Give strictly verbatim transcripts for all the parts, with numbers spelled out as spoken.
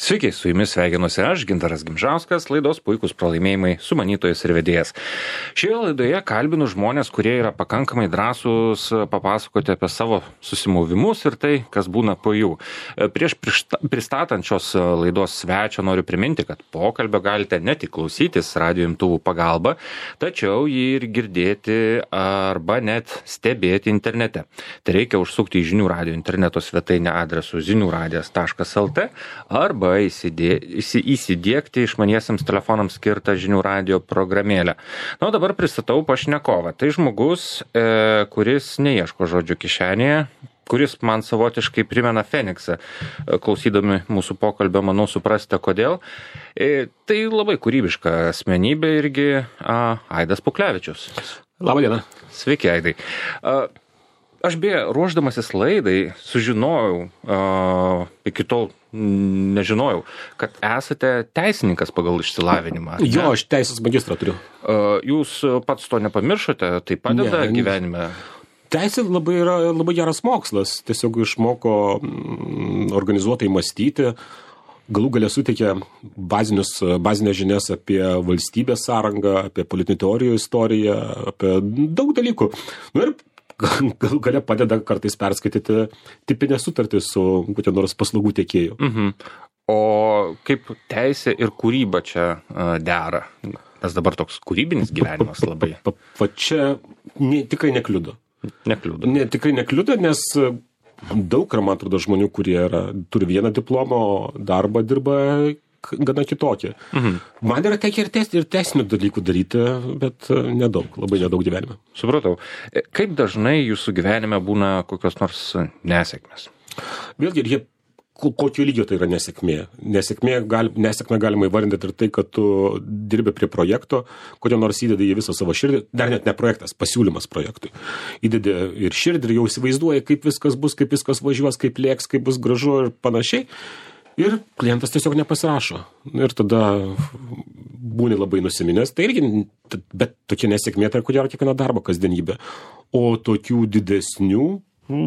Sveiki, su jumis sveikinuosi aš, Gintaras Gimžauskas, laidos Puikūs pralaimėjimai sumanytojas ir vedėjas. Šioje laidoje kalbinu žmonės, kurie yra pakankamai drąsūs papasakoti apie savo susimovimus ir tai, kas būna po jų. Prieš pristatant šios laidos svečią noriu priminti, kad pokalbio galite ne tik klausytis radijo imtuvų pagalba, tačiau jį ir girdėti arba net stebėti internete. Tai reikia užsukti į žinių radijo interneto svetainę adresu zinių radijas taškas lt arba Įsidė, įsidiegti išmaniesiems telefonams skirtą žinių radijo programėlę. Na, o dabar pristatau pašnekovą. Tai žmogus, e, kuris neieško žodžių kišenėje, kuris man savotiškai primena Feniksą. Klausydami mūsų pokalbio, manau, suprasite, kodėl. E, tai labai kūrybiška asmenybė irgi a, Aidas Puklevičius. Labą dieną. Sveiki, Aidai. A, Aš beje, ruošdamasis laidai, sužinojau, uh, iki tol nežinojau, kad esate teisininkas pagal išsilavinimą. Jo, aš teisės magistrą turiu. Uh, jūs pats to nepamiršote, tai padeda ne, gyvenime? Teisė labai yra labai geras mokslas, tiesiog išmoko mm, organizuotai mąstyti, galų galia suteikia bazinius, bazinės žinias apie valstybės sąrangą, apie politinių teorijų istoriją, apie daug dalykų. Nu ir galų galia padeda kartais perskaityti tipinę sutartį su kokia nors paslaugų tiekėju. Mhm. O kaip teisė ir kūryba čia uh, dera? Nes dabar toks kūrybinis gyvenimas labai. Pa, pa, pa čia ne, tikrai nekliudo. Nekliudo. Ne, tikrai nekliudo, nes daug yra, man atrodo, žmonių, kurie yra, turi vieną diplomą, o darbą dirba gana kitokie. Mhm. Man yra tekę ir, teis, ir teisinių dalykų daryti, bet nedaug, labai nedaug gyvenime. Supratau. Kaip dažnai jūsų gyvenime būna kokios nors nesėkmės? Vėlgi, ir jie, kokio lygio tai yra nesėkmė. Nesėkmė, gal, nesėkmė galima įvardinti ir tai, kad tu dirbi prie projekto, kodėl nors įdedi į visą savo širdį, dar net ne projektas, pasiūlymas projektui. Įdedi ir širdį ir jau įsivaizduoji, kaip viskas bus, kaip viskas važiuos, kaip lėks, kaip bus gražu ir panašiai. Ir klientas tiesiog nepasirašo. Ir tada būni labai nusiminęs. Tai irgi, bet tokia nesėkmė, tai kodėl kiekviena darbo kasdienybė. O tokių didesnių, nu,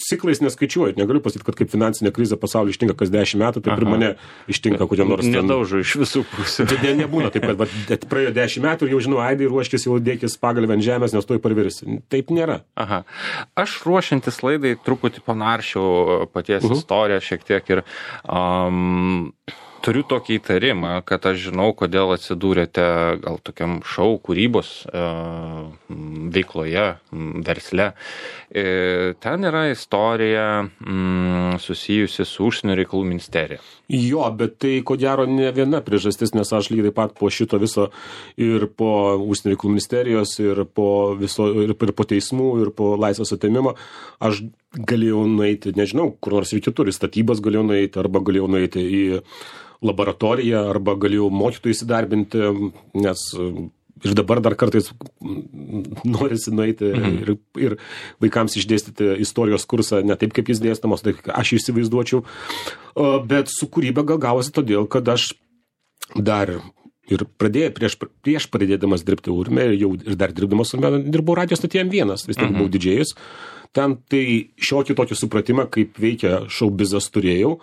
ciklais neskaičiuoju. Negaliu pasakyti, kad kaip finansinė krizė pasaulį ištinka kas dešimt metų, taip ir mane ištinka kodėl nors. Nedaužo iš visų pusių. Ne, nebūna taip, kad bet, praėjo dešimt metų ir jau žinau, Aidai, ruoškis jau dėkis pagalvę ant žemės, nes tuoj parvirsi. Taip nėra. Aha. Aš ruošiantis laidai truputį panaršiau paties uh-huh. istoriją šiek tiek ir um, turiu tokį įtarimą, kad aš žinau, kodėl atsidūrėte gal tokiam šou kūrybos uh, veikloje, versle. E, ten yra istorija mm, susijusi su užsienio reikalų ministerija. Jo, bet tai ko gero ne viena priežastis, nes aš lygiai taip pat po šito viso ir po užsienio reikalų ministerijos, ir po, viso, ir, ir po teismų, ir po laisvės atėmimo, aš galėjau nueiti, nežinau, kur nors ir kitur, į statybas galėjau nueiti, arba galėjau nueiti į laboratoriją, arba galėjau mokytojų įsidarbinti, nes ir dabar dar kartais norisi nueiti mhm. ir, ir vaikams išdėstyti istorijos kursą ne taip, kaip jis dėstamos, tai aš įsivaizduočiau. Bet su kūryba gal gavosi todėl, kad aš dar ir pradėjau, prieš, prieš pradėdamas dirbti Urme, jau ir dar dirbdamas Urme, dirbau radijo stotyje M vienas, vis tiek mhm. buvau didžėjus. Ten tai šiokį tokį supratimą, kaip veikia šoubizas turėjau.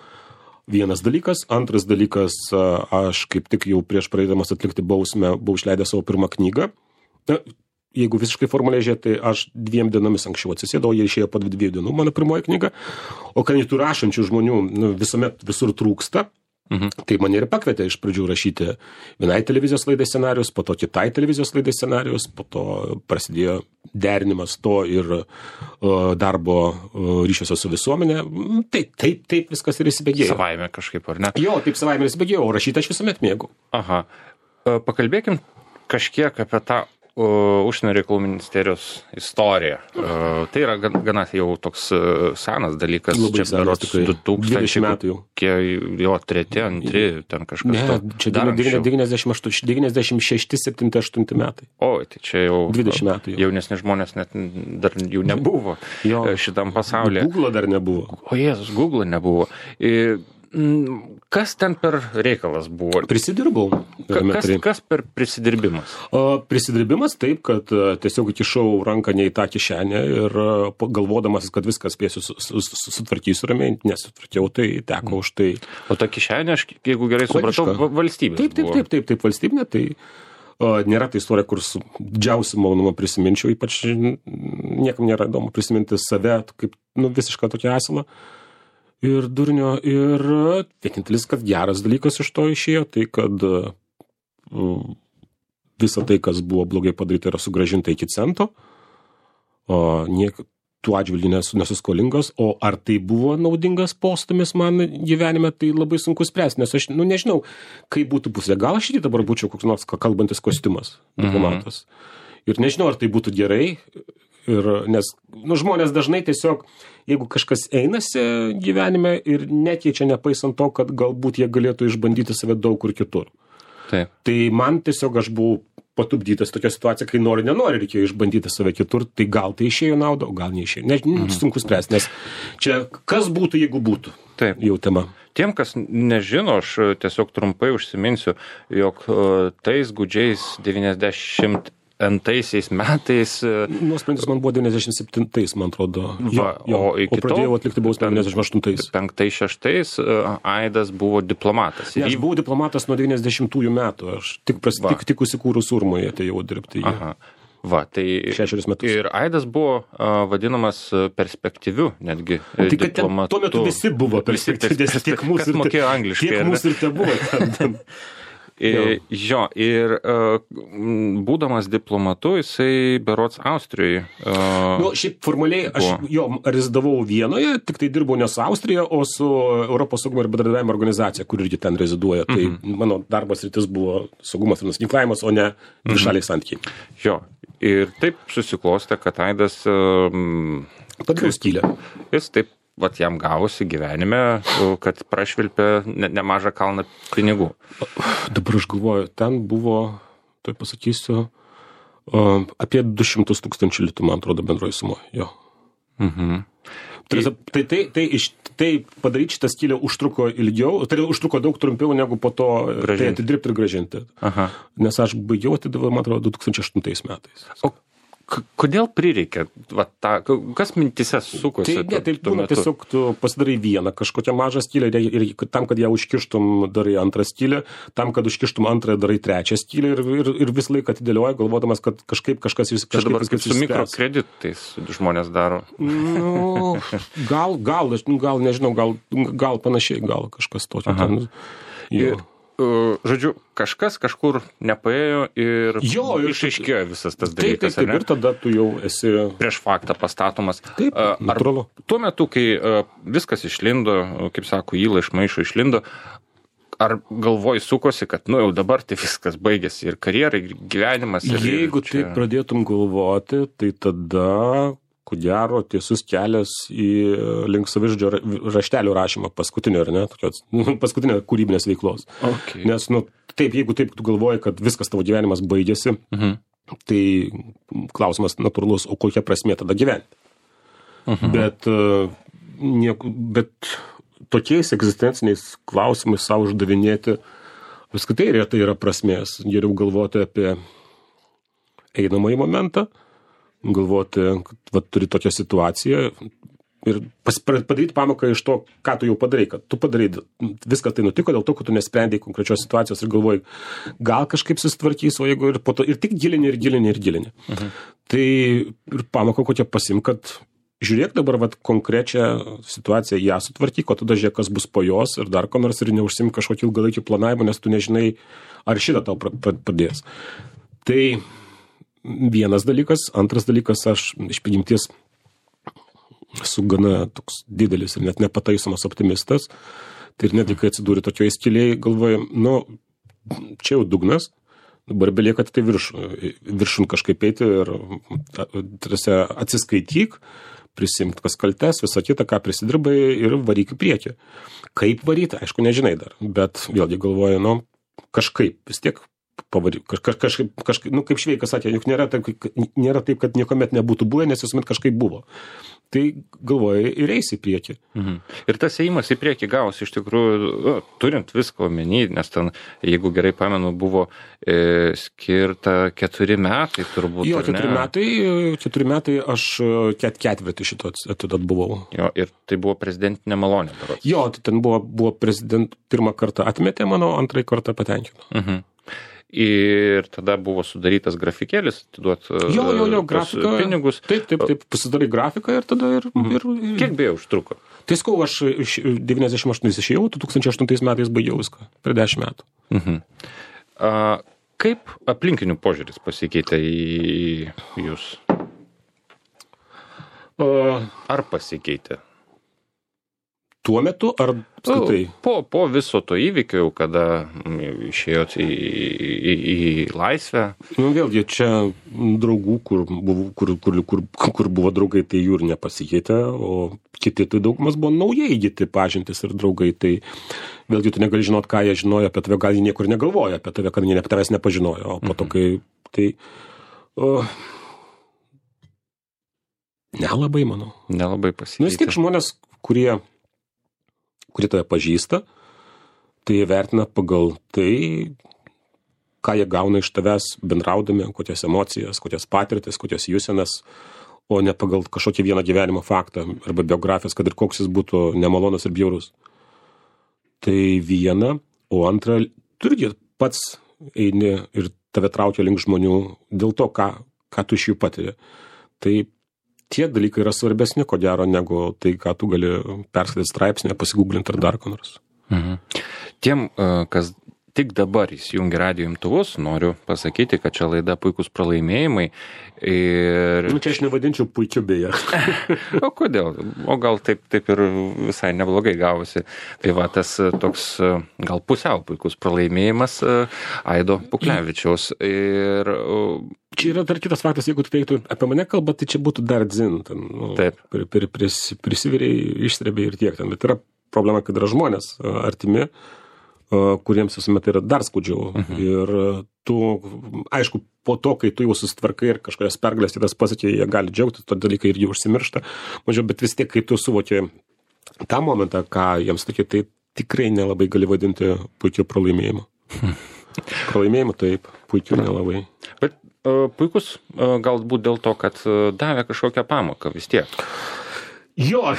Vienas dalykas. Antras dalykas, aš kaip tik jau prieš pradėdamas atlikti bausmę, buvau išleidęs savo pirmą knygą. Na, jeigu visiškai formaliai žiūrėti, tai aš dviem dienomis anksčiau atsisėdau, jie išėjo po dviejų dienų, mano pirmoji knyga. O kai tų rašančių žmonių nu, visuomet visur trūksta, mhm. tai mane ir pakvietė iš pradžių rašyti vienai televizijos laidai scenarijus, po to kitai televizijos laidai scenarijus, po to prasidėjo derinimas to ir uh, darbo uh, ryšiuose su visuomenė. Taip, taip, taip viskas ir įsibėgėjo. Savaime kažkaip, ar ne? Jo, taip savaime įsibėgėjo, o rašyti aš visuomet mėgau. Aha. Pakalbėkim kažkiek apie tą užsienio reikalų ministerijos istorija. Uh, tai yra gana jau toks uh, senas dalykas. Labai čia berods du tūkstančiai metų jau. Jo, treti, antri, ten kažkas. Ne, to. Čia devyniasdešimt šešti, septinti, aštunti metai. Oi, tai čia jau dvidešimt metų jau. Jaunesni žmonės net dar jų nebuvo jo. šitam pasaulyje. Google dar nebuvo. O Jėzus, Google nebuvo. I, kas ten per reikalas buvo? Prisidirbau. Kas, kas per prisidirbimas? O, prisidirbimas taip, kad tiesiog įkišau ranką ne į tą kišenę ir galvodamas, kad viskas spėsiu sutvarkysiu ramiai, nesutvarkiau, tai teko už tai. O ta kišenė, aš, jeigu gerai supratau, valstybės taip, taip, taip, taip, taip, valstybinė, tai o, nėra tai istorija, kur su didžiausiu malonumu prisiminčiau, ypač niekam nėra įdomu prisiminti save kaip nu, visišką tokį asilą. Ir durnio, ir vienintelis, kad geras dalykas iš to išėjo, tai kad uh, visa tai, kas buvo blogai padaryta, yra sugrąžinta iki cento, o niek, tų atžvilgių nesu, nesu skolingas, o ar tai buvo naudingas postumis man gyvenime, tai labai sunku spręsti, nes aš nu, nežinau, kaip būtų pusė. Gal aš ir dabar būčiau koks nors kalbantis kostiumas, diplomatas. Mhm. Ir nežinau, ar tai būtų gerai. Ir, nes nu, žmonės dažnai tiesiog, jeigu kažkas einasi gyvenime ir nekeičia nepaisant to, kad galbūt jie galėtų išbandyti save daug kur kitur. Taip. Tai man tiesiog aš buvau patupdytas tokia situacija, kai nori, nenori, reikėjo išbandyti save kitur, tai gal tai išėjo naudą, o gal neišėjo. Ne, mhm. Sunku spręsti, nes čia kas būtų, jeigu būtų. Taip. Jau tema. Tiem, kas nežino, aš tiesiog trumpai užsiminsiu, jog tais gūdžiais devyniasdešimt antaisiais metais. Nuosprendis man buvo devyniasdešimt septintais, man atrodo. Va, jo, o, o pradėjau atlikti bausmę devyniasdešimt aštuntais. Penktais, šeštais Aidas buvo diplomatas. Ne, aš buvau diplomatas nuo devyniasdešimtųjų metų. Aš tik, pras, tik, tik įsikūrus Urmoje atėjau dirbti. Aha. Va, tai šešerius metus. Ir Aidas buvo uh, vadinamas perspektyviu, netgi tai, diplomatu. Tuo metu visi buvo perspektyvus. Tiek mūsų, kas mokėjo angliškai. Tiek mūsų ir te buvo ten. Ir, jo, ir uh, būdamas diplomatu, jisai berods Austrijoje. Uh, nu, šiaip formaliai aš jo rezidavau Vienoje, tik tai dirbau ne su Austrija, o su Europos saugumo ir bendradarbiavimo organizacija, kur irgi ten reziduoja. Tai mm-hmm. mano darbas rytis buvo saugumas ir nusiginklavimas, o ne dvišaliai santykiai. Jo, ir taip susiklostė, kad Aidas... Um, Padariau skylę. Jis taip vat jam gavosi gyvenime, kad prašvilpė ne, nemažą kalną pinigų. Dabar aš galvoju, ten buvo, tai pasakysiu, um, apie du šimtus tūkstančių litų, man atrodo, bendroji sumo. Jo. Mhm. Tai, tai, tai, tai, iš, tai padaryti šitą skylę užtruko ilgiau, tai užtruko daug trumpiau negu po to gražinti. Tai atidirbti ir gražinti. Aha. Nes aš baigiau atidaviau, man atrodo, du tūkstančiai aštuntais metais. O kodėl prireikė, va, ta, kas mintise sukosi? Tai, ne, tai būna tiesiog tu pasidarai vieną kažkokią mažą skylę ir, ir, ir tam, kad ją užkištum, darai antrą skylę, tam, kad užkištum antrąją, darai trečią skylę ir, ir, ir visą laiką atidėlioja, galvodamas, kad kažkaip kažkas vis kažkaip... Čia dabar kaip su mikrokreditais žmonės daro. Nu, gal, gal, gal, nežinau, gal, gal panašiai, gal kažkas tokio. Ten, ir, žodžiu, kažkas kažkur nepaėjo ir jo, išaiškėjo visas tas dalykas. Taip, taip, taip, ir tada tu jau esi... Prieš faktą pastatomas. Taip, natūralu. Tuo metu, kai viskas išlindo, kaip sako, įla iš maišo išlindo, ar galvoj sukosi, kad, nu, jau dabar tai viskas baigėsi ir karjera, ir gyvenimas. Ir, Jeigu ir čia... taip pradėtum galvoti, tai tada... ko gero, tiesus kelias į link savižudžio raštelių rašymą paskutinio, ar ne, tokios, nu, paskutinio kūrybinės veiklos. Okay. Nes, nu, taip, jeigu taip tu galvoji, kad viskas tavo gyvenimas baigėsi, uh-huh. tai klausimas natūralus, o kokia prasmė tada gyventi. Uh-huh. Bet, uh, nieku, bet tokiais egzistenciniais klausimais savo uždavinėti, apskritai retai yra prasmės. Geriau galvoti apie einamąjį momentą, galvoti, kad va, turi tokią situaciją ir pas, padaryti pamoką iš to, ką tu jau padarai, kad tu padarai, viskas tai nutiko dėl to, kad tu nesprendėjai konkrečios situacijos ir galvoji, gal kažkaip susitvarkys, o jeigu ir po to, ir tik gilini, ir gilini, ir gilini. Mhm. Tai ir pamoką kokią pasim, kad žiūrėk dabar vat konkrečią situaciją, ją sutvarkyk, o tada žiūrėk, kas bus po jos ir dar ko nors ir neužsim kažkokį ilgalaikį planavimą, nes tu nežinai, ar šitą tau padės. Tai vienas dalykas, antras dalykas, aš iš prigimties esu gana toks didelis ir net nepataisomas optimistas. Tai ir netgi, kai atsidūrė tokioje skylėje, galvoju, nu, čia jau dugnas, dabar belieka tai virš, viršun kažkaip eiti ir tarsi atsiskaityk, prisimk kas kaltes, visą kitą, ką prisidirbai ir varyk į priekį. Kaip varyti, aišku, nežinai dar, bet vėlgi galvoju, nu, kažkaip vis tiek pavari, kaž, kažkaip, kažkaip, nu, kaip Šveikas sakė, juk nėra taip, nėra taip, kad niekuomet nebūtų buvę, nes visuomet kažkaip buvo. Tai galvoja ir eis į priekį. Mhm. Ir tas ėjimas į priekį gausi iš tikrųjų, nu, turint viską omeny, nes ten, jeigu gerai pamenu, buvo e, skirta keturi metai turbūt. Jo, keturi metai, keturi metai aš ket, ketvirtį šito atidat buvau. Jo, ir tai buvo prezidentinė malonė. Berods. Jo, tai ten buvo, buvo prezident, pirmą kartą atmetė mano, antrąjį kartą patenkino. Mhm. Ir tada buvo sudarytas grafikėlis, atiduot jo, jo, jo, grafika, pinigus. Taip, taip, taip, pasidarai grafiką ir tada ir... Mhm. ir, ir... Kiek beje užtruko? Tai skau, aš iš devyniasdešimt aštuntais išėjau, du tūkstančiai aštuntais metais baigiau viską, per dešimt metų. Mhm. A, kaip aplinkinių požiūris pasikeitė į jūs? A, Ar pasikeitė? tuo metu, ar apskritai? Po, po viso to įvykio, kada išėjot į, į, į laisvę? Nu, vėlgi, čia draugų, kur buvo, kur, kur, kur, kur buvo draugai, tai jų ir nepasikeitė, o kiti tai daugumas buvo naujai įgyti pažintis ir draugai, tai vėlgi tu negali žinot, ką jie žinojo apie tave, gal jie niekur negalvoja apie tave, kad jie apie tavęs nepažinojo, o po to, kai tai... O, nelabai, manau. Nelabai pasikeitė. Nu, vis tiek žmonės, kurie kurie tave pažįsta, tai jie vertina pagal tai, ką jie gauna iš tavęs bendraudami, kokias emocijas, kokias patirtis, kokias jūsenas, o ne pagal kažkokį vieną gyvenimo faktą arba biografijas, kad ir koks jis būtų nemalonus ir bjaurus. Tai viena, o antra, tu irgi pats eini ir tave traukia link žmonių dėl to, ką, ką tu iš jų patiri. Tai tie dalykai yra svarbesni, ko gero, negu tai, ką tu gali perskaityti straipsnį, pasigūglinti ar dar ko nors. Mhm. Tiem, kas tik dabar įsijungia radijo imtuvus, noriu pasakyti, kad čia laida Puikūs pralaimėjimai. Ir... Nu, čia aš nevadinčiau puikiu beje. O kodėl? O gal taip, taip ir visai neblogai gavosi. Tai va, tas toks gal pusiau puikus pralaimėjimas Aido Puklevičiaus. Ir... Čia yra dar kitas faktas, jeigu tu teiktų apie mane kalbą, tai čia būtų dar dzin. Ten, nu, taip. Pris, pris, prisiviriai, išstrebiai ir tiek ten. Bet yra problema, kad yra žmonės artimi, kuriems visuomet yra dar skaudžiau. Mhm. Ir tu, aišku, po to, kai tu jau susitvarkai ir kažkokias pergalės kitas pasakė, jie gali džiaugtis, to dalykai irgi užsimiršta. Mažiau, bet vis tiek, kai tu suvoki tą momentą, ką jiems sakė, tai tikrai nelabai gali vadinti puikiu pralaimėjimu. Hmm. Pralaimėjimu taip, puikiu nelabai. Bet uh, puikus uh, galbūt dėl to, kad uh, davė kažkokią pamoką vis tiek. Jo,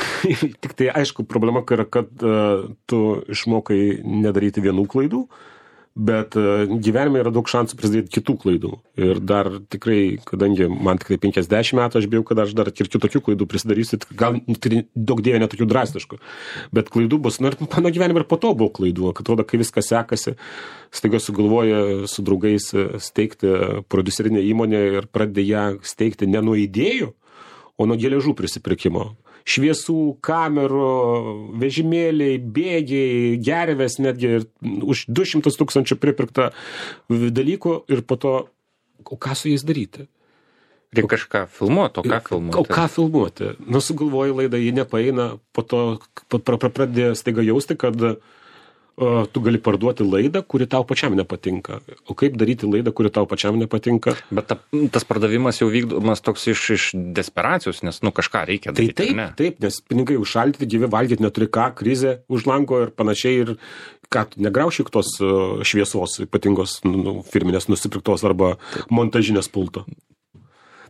tik tai aišku, problema yra, kad uh, tu išmokai nedaryti vienų klaidų, bet uh, gyvenime yra daug šansų prisidėti kitų klaidų. Ir dar tikrai, kadangi man tikrai penkiasdešimt metų, aš bijau, kad aš dar ir kitokių klaidų prisidarysiu, gal daug dėja netokių drastiškų, bet klaidų bus. Na ir mano gyvenime ir po to buvo klaidų, kad atrodo, kai viskas sekasi, staiga sugalvoja su draugais steigti prodiuserinę įmonę ir pradeda ją steigti ne nuo idėjų, o nuo geležų prisipirkimo. Šviesų, kamerų, vežimėliai, bėgiai, gervės netgi ir už du šimtus tūkstančių pripirkta dalykų ir po to, o ką su jais daryti? Reikia kažką filmuoti, o ką filmuoti? O ką filmuoti? Nu, sugalvoji laidą, ji nepaeina, po to pradėjo staiga jausti, kad uh, tu gali parduoti laidą, kuri tau pačiam nepatinka. O kaip daryti laidą, kuri tau pačiam nepatinka? Bet ta, tas pardavimas jau vykdomas toks iš, iš desperacijos, nes nu kažką reikia daryti. Tai taip, ne? taip, nes pinigai užšaldyti, gyvi valgyti neturi ką, krizė už lango ir panašiai. Ir ką, negraušyk tos šviesos ypatingos nu, firminės nusipirktos arba montažinės pulto.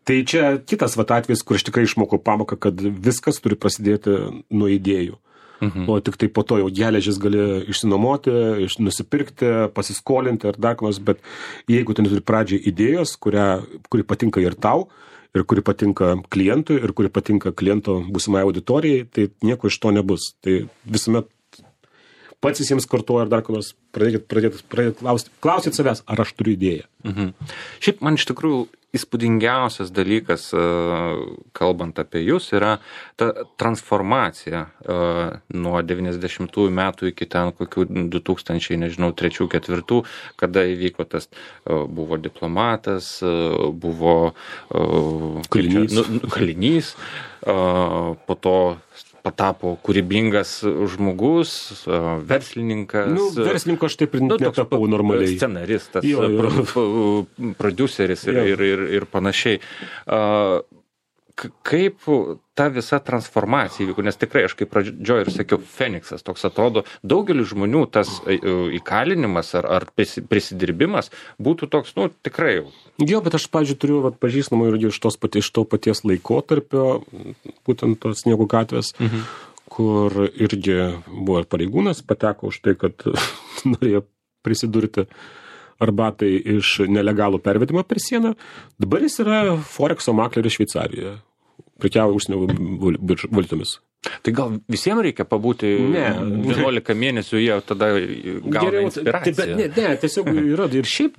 Tai čia kitas vat atvejis, kur aš tikrai išmokau pamoką, kad viskas turi prasidėti nuo idėjų. Mhm. O tik tai po to jau geležis gali išsinuomoti, iš, nusipirkti, pasiskolinti ar dar kas, bet jeigu tu neturi pradžiai idėjos, kurią, kuri patinka ir tau, ir kuri patinka klientui, ir kuri patinka kliento būsimai auditorijai, tai nieko iš to nebus. Tai visuomet pats visiems kartuoja ir dar kas, pradėkit, pradėkit, pradėkit klausti, klausyt savęs, ar aš turiu idėją. Mhm. Šiaip man iš tikrųjų įspūdingiausias dalykas, kalbant apie jūs, yra ta transformacija nuo devyniasdešimtųjų metų iki ten kokių du tūkstančiai, nežinau, trečių, ketvirtų, kada įvyko tas, buvo diplomatas, buvo kalinys, nu, kalinys po to patapo kūrybingas žmogus, verslininkas. Nu, verslininko aš taip ir nu, netapau normaliai. Scenaristas, jo, jo. Pro, prodiuseris ir, ir, ir, ir panašiai. Uh, Kaip ta visa transformacija įvyko, nes tikrai aš kaip pradžioj ir sakiau, Feniksas toks atrodo, daugeliu žmonių tas įkalinimas ar, ar prisidirbimas būtų toks, nu, tikrai jau. Jo, bet aš, pavyzdžiui, turiu vat, pažįstamų irgi iš, tos pati, iš to paties laikotarpio, būtent tos Sniego gatvės, mhm. kur irgi buvo ir pareigūnas, pateko už tai, kad norėjo prisidurti arbatai iš nelegalų pervedimą per sieną. Dabar jis yra Forexo makleris Šveicarijoje. Prekiauja užsienio valiutomis. Tai gal visiems reikia pabūti ne. vienuolika mėnesių, jie tada gauna Geriau, inspiraciją? Tai, ne, ne, tiesiog yra ir šiaip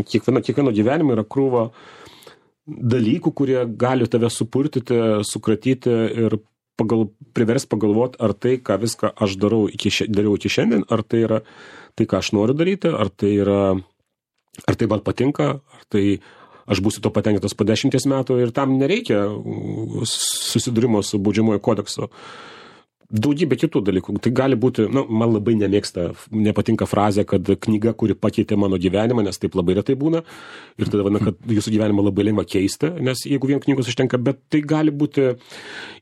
kiekvieno, kiekvieno gyvenime yra krūva dalykų, kurie gali tave supurtyti, sukratyti ir pagal, privers pagalvoti, ar tai, ką viską aš darau iki, dariau iki šiandien, ar tai yra tai, ką aš noriu daryti, ar tai yra, ar tai man patinka, ar tai aš būsiu to patenkintas po dešimties metų ir tam nereikia susidūrimo su baudžiamojo kodekso. Daugybė kitų dalykų. Tai gali būti, nu, man labai nemėgsta, nepatinka frazė, kad knyga, kuri pakeitė mano gyvenimą, nes taip labai retai būna. Ir tada, vadina, kad jūsų gyvenimą labai lengva keisti, nes jeigu vien knygos užtenka, bet tai gali būti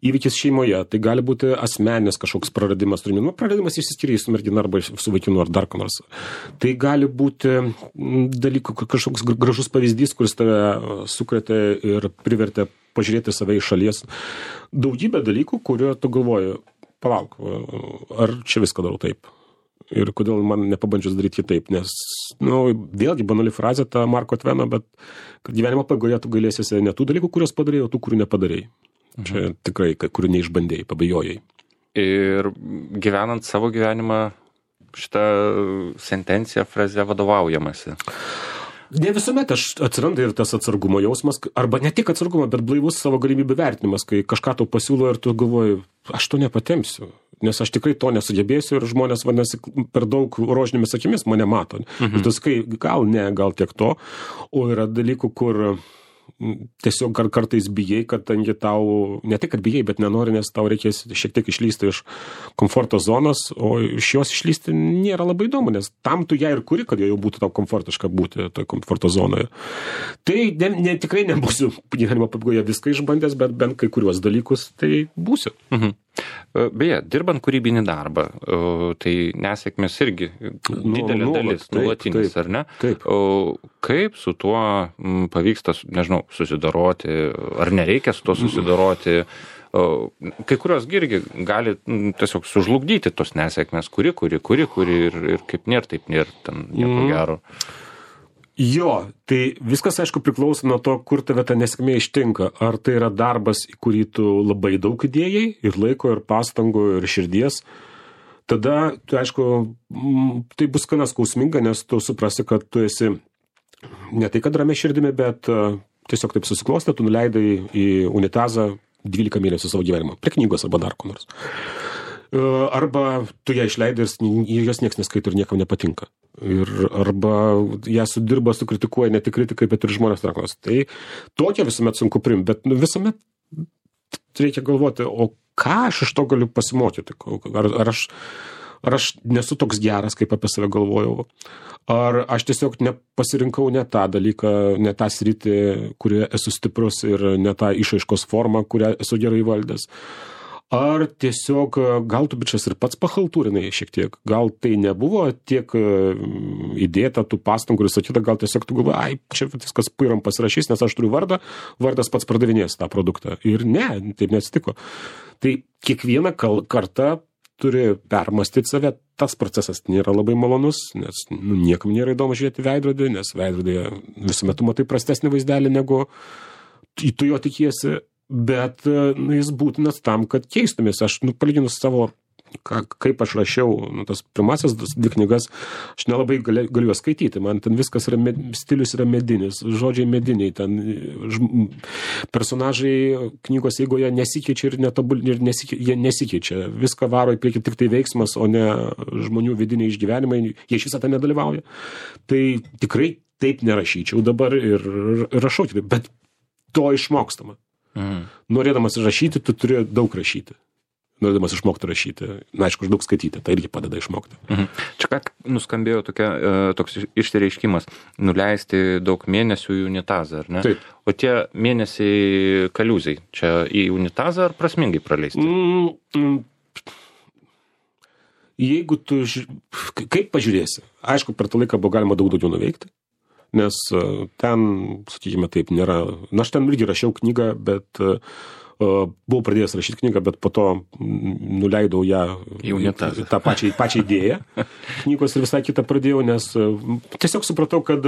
įvykis šeimoje, tai gali būti asmeninės kažkoks praradimas. Nu, praradimas išsiskiria su mergina arba su vaikinu ar dar ko nors. Tai gali būti dalykų, kažkoks gražus pavyzdys, kuris tave sukretė ir privertė pažiūrėti save iš šalies. Daugybė dalykų, kurio tu galvoji, palauk, ar čia viską darau taip? Ir kodėl man nepabandžius daryti kitaip? Nes, nu, vėlgi banali frazė ta Marko Tveno, bet kad gyvenimo pabaigoje tu galėsiesi ne tų dalykų, kuriuos padarėjai, o tų, kurių nepadarėjai. Mhm. Čia tikrai, kurių neišbandėjai, pabijojai. Ir gyvenant savo gyvenimą, šitą sentenciją, frazę vadovaujamasi. Ne visuomet aš atsiranda ir tas atsargumo jausmas, arba ne tik atsargumo, bet blaivus savo galimybių vertinimas, kai kažką tau pasiūlo ir tu galvoji, aš to nepatempsiu, nes aš tikrai to nesugebėsiu ir žmonės vadinasi per daug rožinėmis akimis mane mato. Mhm. Ir tu sakai, gal ne, gal tiek to, o yra dalykų, kur tiesiog kar kartais bijai, kad tangi tau, ne tik, kad bijai, bet nenori, nes tau reikės šiek tiek išlysti iš komforto zonos, o iš jos išlysti nėra labai įdomu, nes tam tu ją ir kuri, kad jau būtų tau komfortiška būti toje komforto zonoje. Tai ne, ne, tikrai nebūsiu gyvenimo pabaigoje viską išbandęs, bet bent kai kuriuos dalykus tai būsiu. Mhm. Beje, dirbant kūrybinį darbą, tai nesėkmės irgi didelė nu, dalis, nuolatinis, ar ne? Taip. Kaip su tuo pavyksta, nežinau, susidoroti, ar nereikia su tuo susidoroti? Kai kurios irgi gali tiesiog sužlugdyti tos nesėkmės, kuri, kuri, kuri, kuri ir, ir kaip nėra, taip nėra, ten nieko mm. gero. Jo, tai viskas, aišku, priklauso nuo to, kur tave ta nesėkmė ištinka. Ar tai yra darbas, į kurį tu labai daug įdėjai, ir laiko, ir pastangų, ir širdies. Tada, tu, aišku, tai bus gana skausminga, nes tu suprasi, kad tu esi ne tai, kad ramia širdimi, bet tiesiog taip susiklostė, tu nuleidai į unitazą dvylika mėnesių savo gyvenimą, prie knygos arba dar ko nors. Arba tu ją išleidai ir jos nieks neskaito ir niekam nepatinka. Ir arba ją sudirba, sukritikuoja ne tik kritikai, bet ir žmonės trakos. Tai tokia visuomet sunku priimti, bet nu, visuomet reikia galvoti, o ką aš iš to galiu pasimokyti? Ar, ar, aš, ar aš nesu toks geras, kaip apie save galvojau? Ar aš tiesiog nepasirinkau ne tą dalyką, ne tą sritį, kurioje esu stiprus ir ne tą išaiškos formą, kurią esu gerai valdęs? Ar tiesiog, gal tu bičias ir pats pachaltūrinai šiek tiek, gal tai nebuvo tiek įdėta tų pastangų ir sakyta, gal tiesiog tu galvoji, ai, čia viskas pyram pasirašys, nes aš turiu vardą, vardas pats pardavinės tą produktą. Ir ne, taip neatsitiko. Tai kiekvieną kartą turi permastyti save, tas procesas nėra labai malonus, nes nu, niekam nėra įdomu žiūrėti veidrodį, nes veidrodėje visuomet tu matai prastesnį vaizdelį, negu tu jo tikiesi. Bet nu, jis būtinas tam, kad keistumės. Aš, nu, palyginus savo, ką, kaip aš rašiau, nu, tas pirmasis dvi knygas, aš nelabai galiu, galiu skaityti. Man ten viskas yra, med, stilius yra medinis, žodžiai mediniai, ten ž, personažai knygos eigoje nesikeičia ir, netobul, ir nesikeičia, jie nesikeičia. Viską varo į priekį tik tai veiksmas, o ne žmonių vidiniai išgyvenimai, jie iš visą tą nedalyvauja. Tai tikrai taip nerašyčiau dabar ir, ir rašau kitaip, bet to išmokstama. Mhm. Norėdamas rašyti, tu turi daug rašyti. norėdamas išmokti rašyti. Na, aišku, daug skaityti, tai irgi padeda išmokti. Mhm. Čia ką nuskambėjo tokia, toks išsireiškimas, nuleisti daug mėnesių į unitazą, ar ne? Taip. O tie mėnesiai kaliūzai, čia į unitazą ar prasmingai praleisti? Mm, mm. Jeigu tu, kaip pažiūrėsi, aišku, per tą laiką buvo galima daug daugiau nuveikti, nes ten, sakykime taip, nėra, na, aš ten irgi rašiau knygą, bet uh, buvau pradėjęs rašyti knygą, bet po to nuleidau ją į tą pačią, pačią idėją knygos ir visai kitą pradėjau, nes uh, tiesiog supratau, kad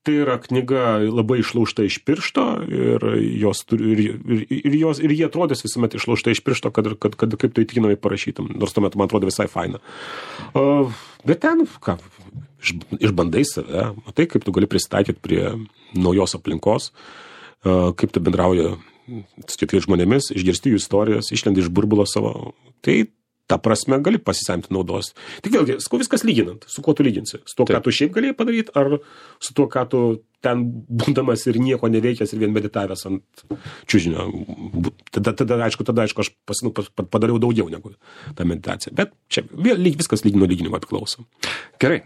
tai yra knyga labai išlaužta iš piršto ir, jos, ir, ir, ir, jos, ir jie atrodės visuomet išlaužta iš piršto, kad, kad, kad kaip tu įtikinamai parašytum, nors tuomet man atrodo visai faina. Uh, bet ten, ką, iš, išbandai save, matai, kaip tu gali prisitaikyti prie naujos aplinkos, uh, kaip tu bendrauji su kitais žmonėmis, išgirsti jų istorijas, išlendi iš burbulo savo. Tai ta prasme gali pasisemti naudos. Tik vėlgi, sakau, viskas lyginant. Su kuo tu lyginsi? Su tuo, Taip. Ką tu šiaip galėjai padaryti, ar su tuo, ką tu ten būdamas ir nieko neveikęs ir vien meditavęs ant čiužinio. Tada, tada, aišku, tada, aišku, aš pasinu, padariau daugiau negu tą meditaciją. Bet čia vėl viskas lygino lyginimo priklauso. Gerai.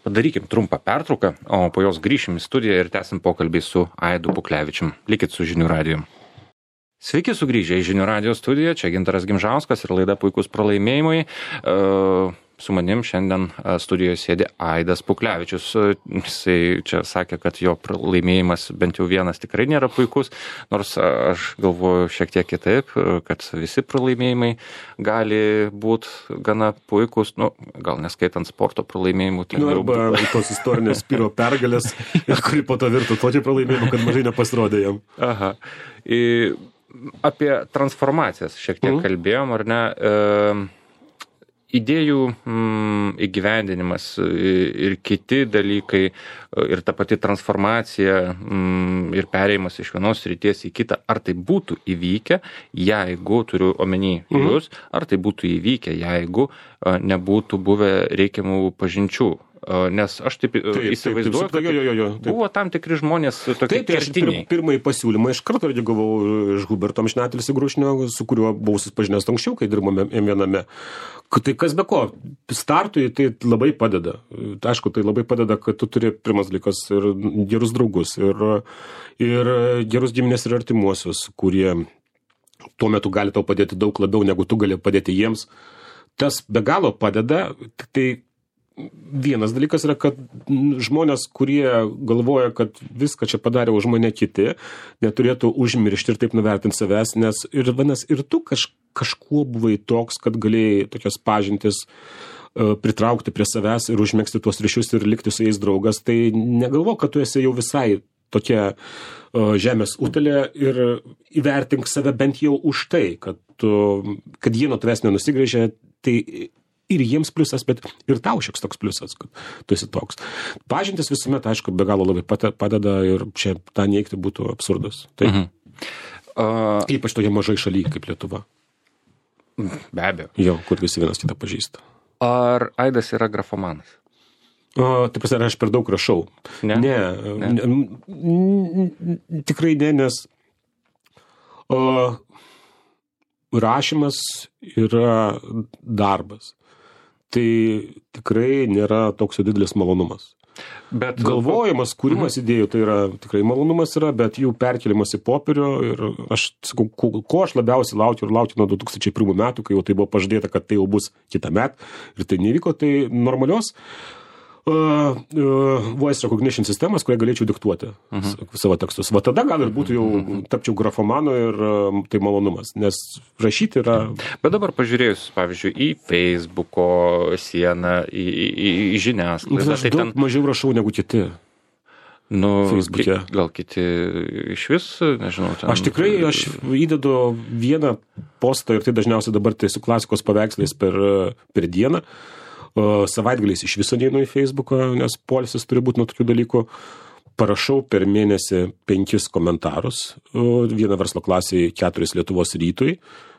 Padarykim trumpą pertrauką, o po jos grįšim į studiją ir tęsim pokalbį su Aidu Puklevičium. Likit su Žinių radiju. Sveiki sugrįžę į Žinių radijo studiją, čia Gintaras Gimžauskas ir laida Puikūs pralaimėjimai. Su manim šiandien studijoje sėdi Aidas Puklevičius. Jisai čia sakė, kad jo pralaimėjimas bent jau vienas tikrai nėra puikus, nors aš galvoju šiek tiek kitaip, kad visi pralaimėjimai gali būti gana puikus, nu, gal neskaitant sporto pralaimėjimų. Nu, arba tos istorinės Spiro pergalės, kuri po to virtų tokį pralaimėjimą, kad mažai nepasirodė jam. Aha. I... Apie transformacijas šiek tiek mm. kalbėjom, ar ne? E, idėjų mm, įgyvendinimas ir kiti dalykai ir ta pati transformacija mm, ir perėjimas iš vienos srities į kitą, ar tai būtų įvykę, jeigu, turiu omeny mm. jūs, ar tai būtų įvykę, jeigu nebūtų buvę reikiamų pažinčių. Nes aš taip, taip įsivaizduoju, kad jo, jo, jo, buvo tam tikri žmonės tokie kertiniai. Pir, pirmąjį pasiūlymą iš karto gavau iš Huberto Amžinatilsį Grušnio, su kuriuo buvau susipažinęs anksčiau, kai dirbome viename. Tai kas be ko, startui tai labai padeda. Aišku, tai labai padeda, kad tu turi pirmas dalykas ir gerus draugus, ir, ir gerus giminės ir artimuosius, kurie tuo metu gali tau padėti daug labiau, negu tu gali padėti jiems. Tas be galo padeda, tai vienas dalykas yra, kad žmonės, kurie galvoja, kad viską čia padarė už mane kiti, neturėtų užmiršti ir taip nuvertinti savęs, nes ir, vanas, ir tu kaž, kažkuo buvai toks, kad galėjai tokias pažintis uh, pritraukti prie savęs ir užmegzti tuos ryšius ir likti su jais draugas. Tai negalvo, kad tu esi jau visai tokia uh, žemės utelė ir įvertink save bent jau už tai, kad, uh, kad jie nuo tavęs nenusigrėžė, tai ir jiems pliusas, bet ir tau šieks toks pliusas, kad tu esi toks. Pažintis visuomet, aišku, be galo labai padeda ir čia tą neigti būtų absurdas. Taip. Mhm. Uh, Ypač toje mažai šalyje kaip Lietuva. Be abejo. Jo, kur visi vienas kitą pažįsta. Ar Aidas yra grafomanas? Uh, taip prasme, aš per daug rašau. Ne? Ne. ne. ne tikrai ne, nes uh, rašymas yra darbas. Tai tikrai nėra toks jau didelis malonumas. Bet galvojimas, kūrimas idėjų, tai yra tikrai malonumas yra, bet jų perkelimas į popierių ir aš sakau, ko, ko aš labiausiai laukiu ir laukiu nuo du tūkstančiai pirmų metų, kai jau tai buvo pažadėta, kad tai jau bus kitą metą ir tai nevyko, tai normalios Uh, uh, voice recognition sistemas, kurią galėčiau diktuoti uh-huh. savo tekstus. Va tada gal ir būtų jau tapčiau grafomanu ir uh, tai malonumas, nes rašyti yra... Bet dabar pažiūrėjus, pavyzdžiui, į Facebooko sieną, į, į, į žiniasklaidą. Aš tai daug ten... mažiau rašau negu kiti. Nu, Facebook'e. Gal kiti iš vis, nežinau. Ten... Aš tikrai, aš įdedu vieną postą ir tai dažniausiai dabar tai su klasikos paveikslais per, per dieną. Savaitgaliais iš viso neinu į Facebooką, nes poilsis turi būti nuo tokių dalykų. Parašau per mėnesį penkis komentarus, vieną verslo klasėje, keturis Lietuvos rytui.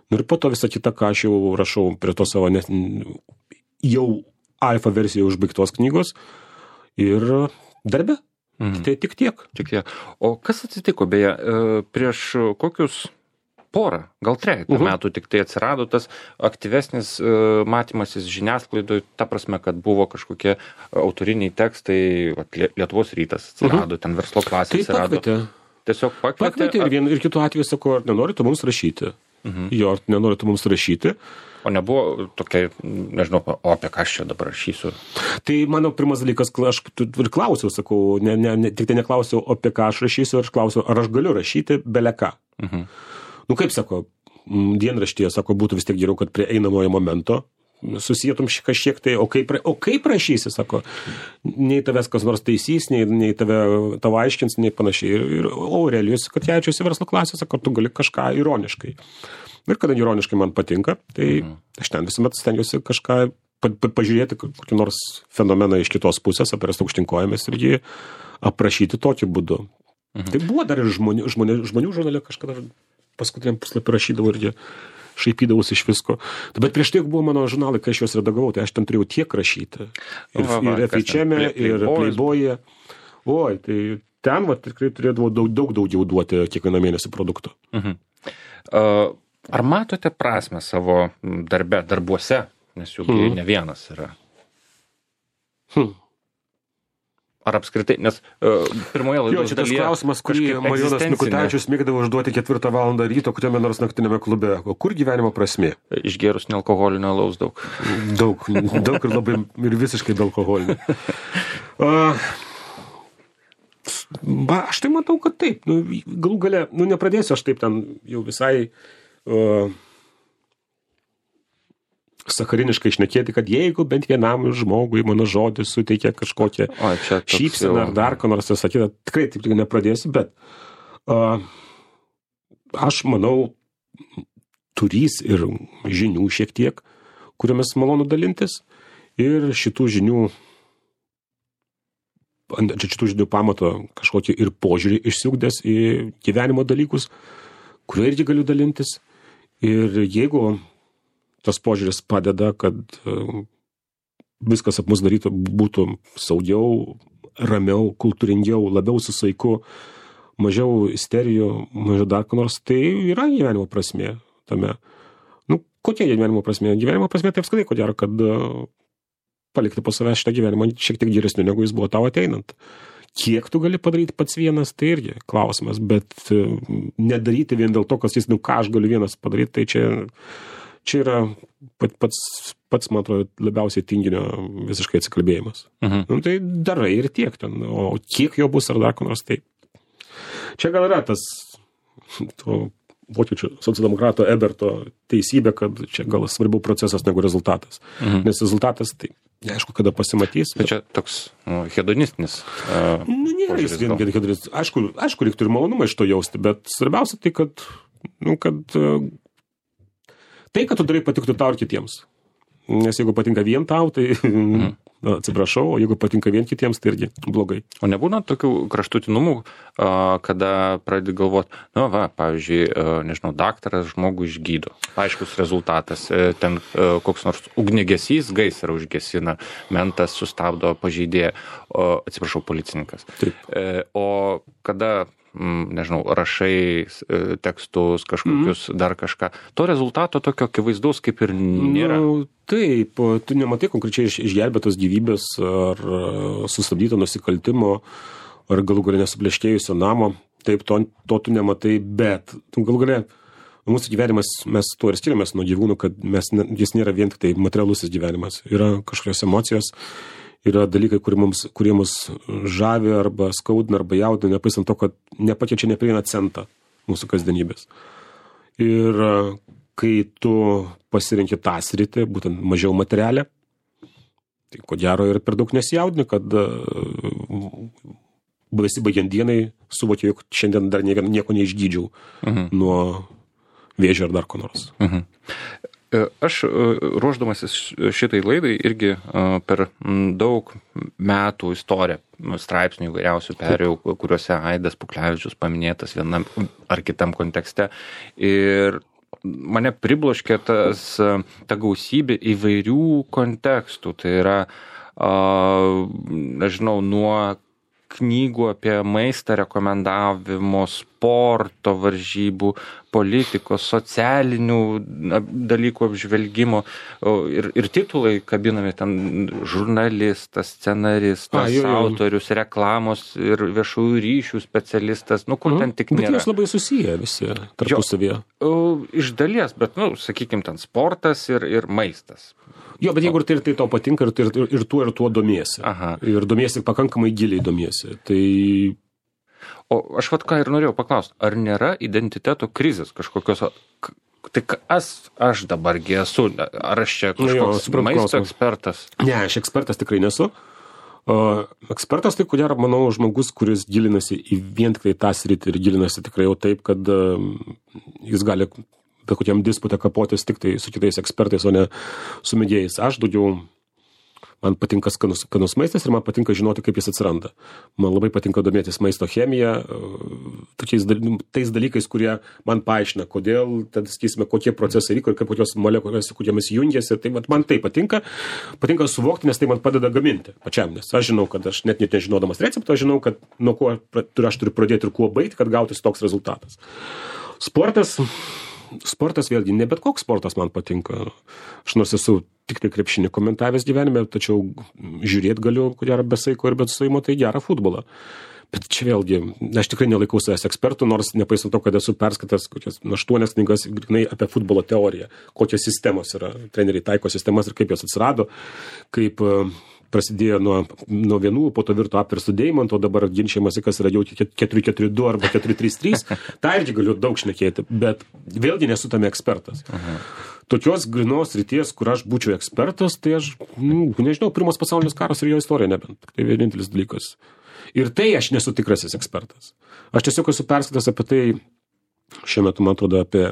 Ir po to visą kitą, ką aš jau rašau prie to savo net, jau alfa versijoje užbaigtos knygos ir darbe. Mhm. Tai tik tiek. Tik tiek. O kas atsitiko, beje, prieš kokius porą, gal trejetą uh-huh. metų tik tai atsirado tas aktyvesnis uh, matymasis žiniasklaidoje, ta prasme, kad buvo kažkokie autoriniai tekstai, vat, Lietuvos rytas atsirado, uh-huh. ten verslo klasė tai atsirado. Pakvietė. Tiesiog pakvietė. Pakvietė ir, vien, ir kitų atveju sako, ar nenorite mums rašyti. Uh-huh. Jo, ar nenorite mums rašyti. O nebuvo tokia, nežinau, o apie ką aš čia dabar rašysiu? Tai mano pirmas dalykas, aš ir klausiau, sakau, ne, ne, ne, tik tai neklausiau, apie ką aš rašysiu, aš klausiau, ar aš galiu rašyti beleką. Uh-huh. Nu kaip, sako, dienraštyje, sako, būtų vis tiek geriau, kad prie einamojo momento susijėtum kažkiek tai, o kaip, o kaip rašysi, sako, nei tavęs kas nors taisys, nei, nei tave, tavo aiškins, nei panašiai. Ir, ir Aurelijus Katkevičius verslo klasė, sako, tu gali kažką ironiškai. Ir kadangi ironiškai man patinka, tai mhm. aš ten visuomet stengiuosi kažką pa, pa, pažiūrėti, kokį nors fenomeną iš kitos pusės, apirasti aukštinkojamės ir jį aprašyti tokiu būdu. Mhm. Tai buvo dar ir žmonių, žmonių, žmonių žurnale kažkada paskutiniam puslapį rašydavo ir jie šaipydavus iš visko. Bet prieš tai buvo mano žurnalai, kai aš juos redagavau, tai aš ten turėjau tiek rašyti. Ir, va, va, ir F H M, ir Playboy'e. Oi, tai ten va, tikrai turėdavau daug, daug daugiau duoti kiekvieną mėnesį produktų. Mhm. Uh, ar matote prasmę savo darbe, darbuose? Nes jų mhm. ne vienas yra. Hmm. Ar apskritai, nes uh, pirmoje laidos dalyje... Jo, šitas klausimas, kurį Marijonas Mikutavičius mėgdavo užduoti ketvirtą valandą ryto, kuriame nors naktinėme klube. O kur gyvenimo prasmė? Išgėrus nealkoholinio alaus daug. Daug, daug ir labai, ir visiškai be alkoholinio. Uh, ba, aš tai matau, kad taip. Nu, galų gale, nu nepradėsiu aš taip ten jau visai... Uh, sakariniškai šnekėti, kad jeigu bent vienam žmogui mano žodis suteikia kažkokią šypseną ar dar ko nors sakytą, tikrai taip nepradėsiu, bet uh, aš manau, turys ir žinių šiek tiek, kuriomis malonu dalintis, ir šitų žinių šitų žinių pamato kažkokį ir požiūrį išsiugdęs į gyvenimo dalykus, kuriuo irgi galiu dalintis. Ir jeigu tas požiūris padeda, kad viskas ap mus darytų, būtų saugiau, ramiau, kultūringiau, labiau su saiku, mažiau isterijų, mažiau dar ko nors, tai yra gyvenimo prasmė tame. Nu, kokia gyvenimo prasmė? Gyvenimo prasmė tai apskritai, ko gero, kad palikti po savęs šitą gyvenimą šiek tiek geresniu, negu jis buvo tau ateinant. Kiek tu gali padaryti pats vienas, tai irgi klausimas, bet nedaryti vien dėl to, kas jis, nu, ką aš galiu vienas padaryti, tai čia... Čia yra pats, pats, man atrodo, labiausiai tinginio visiškai atsikalbėjimas. Mhm. Nu, tai darai ir tiek ten, o kiek jo bus ar dar ko nors taip. Čia gal yra tas to vokiečių socialdemokrato Eberto teisybė, kad čia gal svarbiau procesas negu rezultatas. Mhm. Nes rezultatas, tai neaišku, kada pasimatys. Bet čia toks nu, hedonistinis. Uh, nu, nėra jis vien hedonistinis. Aišku, aišku, reiktų ir malonumą iš to jausti, bet svarbiausia tai, kad, nu, kad uh, tai, kad tu darai, patiktų tau ir kitiems. Nes jeigu patinka vien tau, tai mm. atsiprašau, o jeigu patinka vien kitiems, tai irgi blogai. O nebūna tokių kraštutinumų, kada pradedi galvoti, nu va, pavyzdžiui, nežinau, daktaras žmogų išgydo. Aiškus rezultatas. Ten koks nors ugniagesys gaisrą užgesina, mentas sustabdo pažeidėją, atsiprašau, policininkas. Taip. O kada... nežinau, rašai tekstus, kažkokius mm. dar kažką. To rezultato tokio akivaizdaus kaip ir nėra. Nu, taip, tu nematai konkrečiai išgelbėtos gyvybės ar sustabdyto nusikaltimo ar galų galę nesupleškėjusio namo. Taip, to, to tu nematai, bet galų galę mūsų gyvenimas, mes tuo ir skiriamės nuo gyvūnų, kad mes, jis nėra vien tik tai materialusis gyvenimas. Yra kažkokios emocijos, yra dalykai, kurie mums, kurie mus žavi arba skaudina arba jaudina, nepaisant to, kad nepakeičia neprieina centą mūsų kasdienybės. Ir kai tu pasirenki tą sritį, būtent mažiau materialę, tai ko gero ir per daug nesijaudini, kad besibaigiant dienai suvokiu, jog šiandien dar nieko neišgydžiau mhm. nuo vėžio ar dar ko nors. Mhm. Aš ruošdamasis šitai laidai irgi per daug metų istoriją straipsnių įvairiausių perėjau, kuriuose Aidas Puklevičius paminėtas vienam ar kitam kontekste. Ir mane pribloškė tas, ta gausybė įvairių kontekstų. Tai yra, nežinau, nuo knygų apie maistą rekomendavimus sporto varžybų, politikos, socialinių dalykų apžvelgimo ir, ir titulai kabinami ten žurnalistas, scenaristas, A, jo, jo. autorius, reklamos ir viešųjų ryšių specialistas, nu kur ten tik Bet nėra. jos labai susiję visi tarpusavyje. O, iš dalies, bet, nu, sakykime, ten sportas ir, ir maistas. Jo, bet jeigu tai, tai tau patinka ir, ir, ir tuo ir tuo domiesi. Aha. Ir domiesi pakankamai giliai domiesi. Tai O aš vat ką ir norėjau paklausti, ar nėra identiteto krizės kažkokios, k- tai kas aš dabargi esu, ar aš čia Nu jo, kažkoks suprantu maisto klausimą. ekspertas? ne, aš ekspertas tikrai nesu. O, ekspertas tai, ko gero, manau, žmogus, kuris gilinasi į vien tik tai tą sritį ir gilinasi tikrai jau taip, kad um, jis gali bet kokiam disputą kapotis tik tai su kitais ekspertais, o ne su mėgėjais. Aš daugiau, man patinka skanus, skanus maistas ir man patinka žinoti, kaip jis atsiranda. Man labai patinka domėtis maisto chemija, tokiais dal- tais dalykais, kurie man paaiškina, kodėl, tad sakysime, kokie procesai vyko ir kaip kokios molekulės, su kuriomis jungiasi. Tai vat, man tai patinka. Patinka suvokti, nes tai man padeda gaminti pačiam. Nes aš žinau, kad aš net net nežinodamas recepto, aš žinau, kad nuo ko pra- turiu- aš turiu pradėti ir kuo baigti, kad gautis toks rezultatas. Sportas. Sportas vėlgi, ne bet koks sportas man patinka. Aš nors esu tik tai krepšinį komentavęs gyvenime, tačiau žiūrėti galiu, ko gero, be saiko ir be suimo, tai gerą futbolą. Bet čia vėlgi, aš tikrai nelaikau savęs ekspertų, nors nepaisant to, kad esu perskaitęs kokias aštuonias knygas grynai apie futbolo teoriją, kokios sistemos yra, treneriai taiko sistemas ir kaip jos atsirado, kaip e, prasidėjo nuo, nuo vienų, po to virto apverstų deimantų, o dabar ginčiamasi, kas yra jau keturi keturi du arba keturi trys trys. Ta irgi galiu daug šnekėti, bet vėlgi nesu tame ekspertas. Aha. Tokios grynos ryties, kur aš būčiau ekspertas, tai aš, nu, nežinau, pirmas pasaulinis karas ir jo istorija nebent. Tai vienintelis dalykas. Ir tai aš nesu tikrasis ekspertas. Aš tiesiog esu perskaitęs apie tai, šiuo metu, man atrodo, apie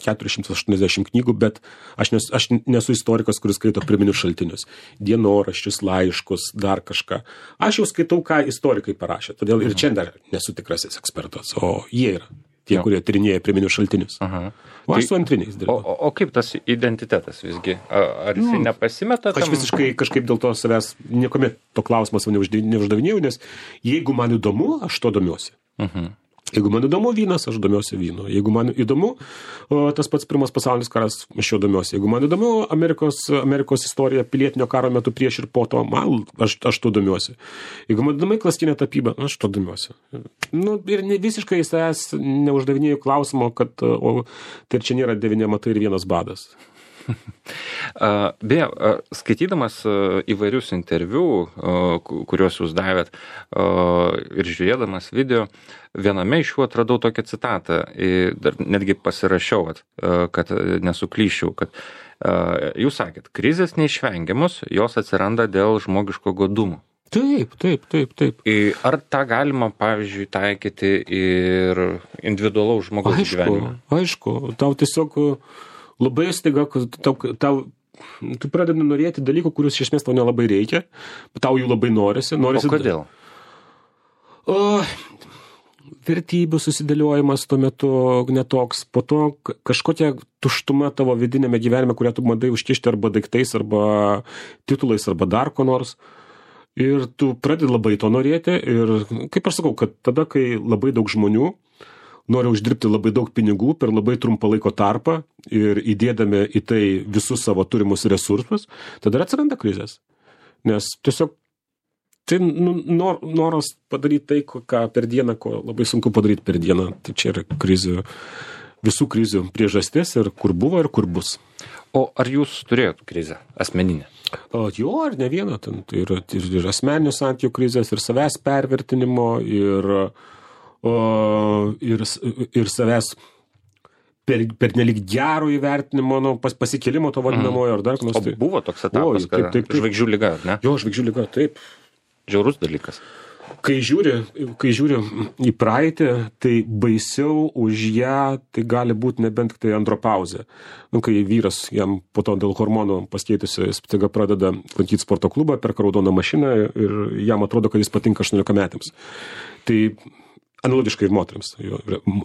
keturi šimtai aštuoniasdešimt knygų, bet aš, nes, aš nesu istorikas, kuris skaito pirminius šaltinius. Dienoraščius, laiškus, dar kažką. Aš jau skaitau, ką istorikai parašė. Todėl ir čia dar nesu tikrasis ekspertas, o jie yra tie, kurie tyrinėja pirminius šaltinius. Aha. O aš Tai- su antriniais O, dirbu. o, o kaip tas identitetas visgi? A- Ar jis nepasimeta? Aš tam- visiškai kažkaip dėl to savęs niekuomet to klausimas neuždav- neuždavinėjau, nes jeigu man įdomu, aš to domiuosi. Mhm. Jeigu man įdomu vynas, aš domiuosi vynu. Jeigu man įdomu o, tas pats pirmas pasaulinis karas, aš jo domiuosi. Jeigu man įdomu Amerikos, Amerikos istorija pilietinio karo metu prieš ir po to, man, aš, aš to domiuosi. Jeigu man įdomu klastinė tapyba, aš to domiuosi. Nu, ir ne, visiškai savęs neuždavinėjau klausimo, kad o, tai čia nėra devyni matai ir vienas badas. A, Beje, a, skaitydamas a, įvairius interviu, a, ku- kuriuos jūs davėt a, ir žiūrėdamas video, viename iš jų atradau tokią citatą, i, dar netgi pasirašiau, vat, a, kad nesuklyščiau, kad a, jūs sakėt, krizės neišvengiamos, jos atsiranda dėl žmogiško godumo. Taip, taip, taip, taip. I, Ar tą galima, pavyzdžiui, taikyti ir individualaus žmogaus Aišku, gyvenime? aišku, tau tiesiog labai staiga, kad tau, tau, tu pradedi norėti dalykų, kurius iš esmės tau nelabai reikia, bet tau jų labai norisi. O norisi kodėl? O, vertybių susidėliojimas tuo metu netoks, po to k- kažkokia tuštuma tavo vidinėme gyvenime, kurią tu bandai užkišti arba daiktais, arba titulais, arba dar ko nors. Ir tu pradedi labai to norėti ir, kaip aš sakau, kad tada, kai labai daug žmonių nori uždirbti labai daug pinigų per labai trumpą laiko tarpą ir įdėdami į tai visus savo turimus resursus, tada ir atsiranda krizės. Nes tiesiog tai nu, nor, noras padaryti tai, ko- ką per dieną, ko labai sunku padaryti per dieną. Tai čia yra krizių, visų krizių priežastis ir kur buvo ir kur bus. O ar jūs turėjot krizę asmeninę? O jo, ar ne vieną, ten tai yra ir, ir asmeninių santykių krizės, ir savęs pervertinimo, ir, o, ir, s- ir savęs per, per nelik gero įvertinimo, nu, pas, pasikėlimo to vadinamojo, ar dar kas O nors. tai- buvo toks etapas, Oi, kad taip, taip, taip. žvaigždžių lyga, ar ne? Jo, žvaigždžių lyga, taip. Žiaurus dalykas. Kai žiūri, kai žiūri į praeitį, tai baisiau už ją tai gali būti nebent tik tai andropauzė. Nu, kai vyras jam po to dėl hormonų paskeitusi, jis staiga pradeda lankyti sporto klubą, perka raudoną mašiną ir jam atrodo, kad jis patinka aštuoniolikametėms. Tai analogiškai ir moteriams, jo,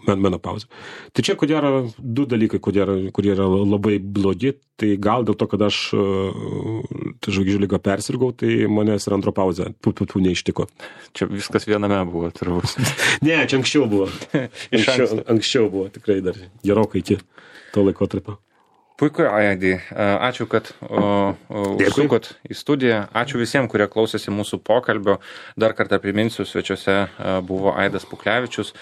menopauzė. Tai čia, ko gero, du dalykai, kurie yra, kurie yra labai blogi, tai gal dėl to, kad aš tai žvaigždžių ligą persirgau, tai manęs ir andropauzė tų neištiko. Čia viskas viename buvo, turbūt. Ne, čia anksčiau buvo. Anksčiau, anksčiau buvo, tikrai dar gerokai iki to laikotarpio. Puiku, Aidai. Ačiū, kad užsukot į studiją. Ačiū visiems, kurie klausėsi mūsų pokalbio. Dar kartą priminsiu, svečiuose buvo Aidas Puklevičius.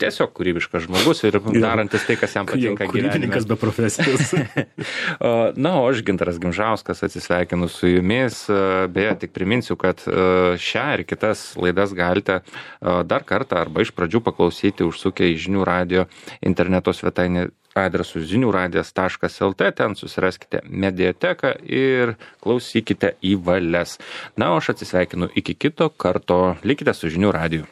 Tiesiog kūrybiškas žmogus ir darantis tai, kas jam patinka gyvenime. Kūrybininkas be profesijos. Na, o aš, Gintaras Gimžauskas, atsisveikinu su jumis. Beje, tik priminsiu, kad šią ir kitas laidas galite dar kartą arba iš pradžių paklausyti užsukę į Žinių radijo interneto svetainę adresu ziniuradijas taškas lt, ten susiraskite mediateką ir klausykite į valias. Na, o aš atsisveikinu iki kito karto. Likite su Žinių radiju.